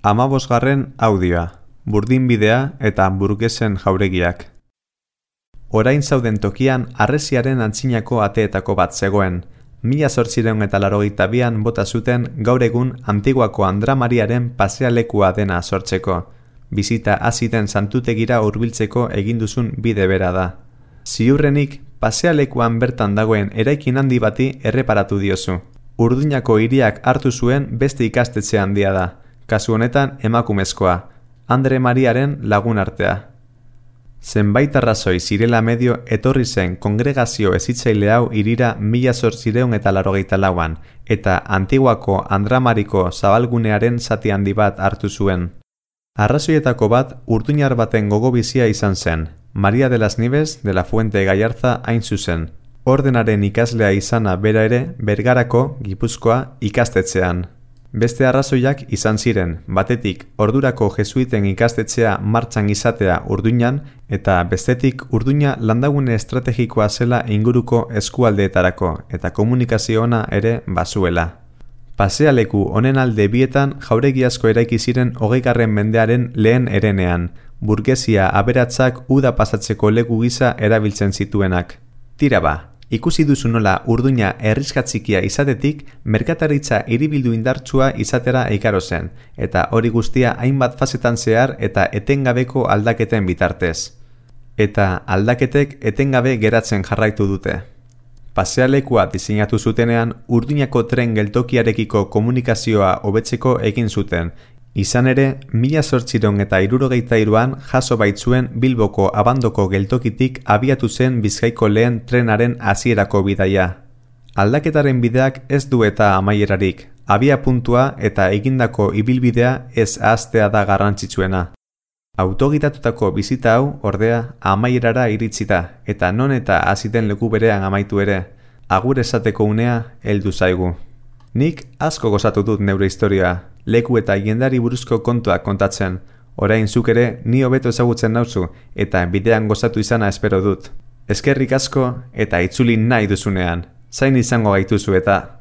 15. audioa, burdinbidea eta hamburguesen jauregiak. Orain zauden tokian harresiaren antzinako ateetako bat zegoen. 1882an bota zuten gaur egun Antiguako Andra Mariaren pasealekua dena sortzeko. Bizita hasi den santutegira hurbiltzeko egin duzun bide bera da. Ziurrenik, pasealekuan bertan dagoen eraikin handi bati erreparatu diozu. Urduñako hiriak hartu zuen beste ikastetxe handia da. Kasu honetan emakumezkoa, Andre Mariaren lagunartea. Zenbait arrazoi zirela medio etorri zen kongregazio hezitzaile hau hirira 1884an eta Antiguako Andramariko zabalgunearen zati handi bat hartu zuen. Arrazoietako bat urduñar baten gogobizia izan zen, Maria de las Nieves de la Fuente Gallarza hain zuzen. Ordenaren ikaslea izana bera ere Bergarako, Gipuzkoa, ikastetxean. Beste arrazoiak izan ziren, batetik ordurako jesuiten ikastetxea martxan izatea Urduñan eta bestetik Urduña landagune estrategikoa zela inguruko eskualdeetarako eta komunikazio ona ere bazuela. Pasealeku honen alde bietan jauregi asko eraiki ziren 20. mendearen lehen herenean, burgesia aberatsak uda pasatzeko leku gisa erabiltzen zituenak. Tira ba! Ikusi duzu nola Urduña herriskatzikia izatetik merkataritza hiribildu indartsua izatera ikaro zen, eta hori guztia hainbat fasetan zehar eta etengabeko aldaketen bitartez. Eta aldaketek etengabe geratzen jarraitu dute. Pasealekua diseinatu zutenean Urduñako tren geltokiarekiko komunikazioa hobetzeko egin zuten. Izan ere, 1863an jaso baitzuen Bilboko Abandoko geltokitik abiatu zen Bizkaiko lehen trenaren hasierako bidaia. Aldaketaren bideak ez du eta amaierarik, abia puntua eta egindako ibilbidea ez ahaztea da garrantzitsuena. Autogitatutako bizita hau, ordea, amaierara iritsi da, eta non eta hasi den leku berean amaitu ere, agur esateko unea heldu zaigu. Nik asko gozatu dut neure historia, leku eta jendari buruzko kontuak kontatzen. Orain zuk ere ni hobeto ezagutzen nauzu eta bidean gozatu izana espero dut. Eskerrik asko eta itzuli nahi duzunean. Zain izango gaituzu eta...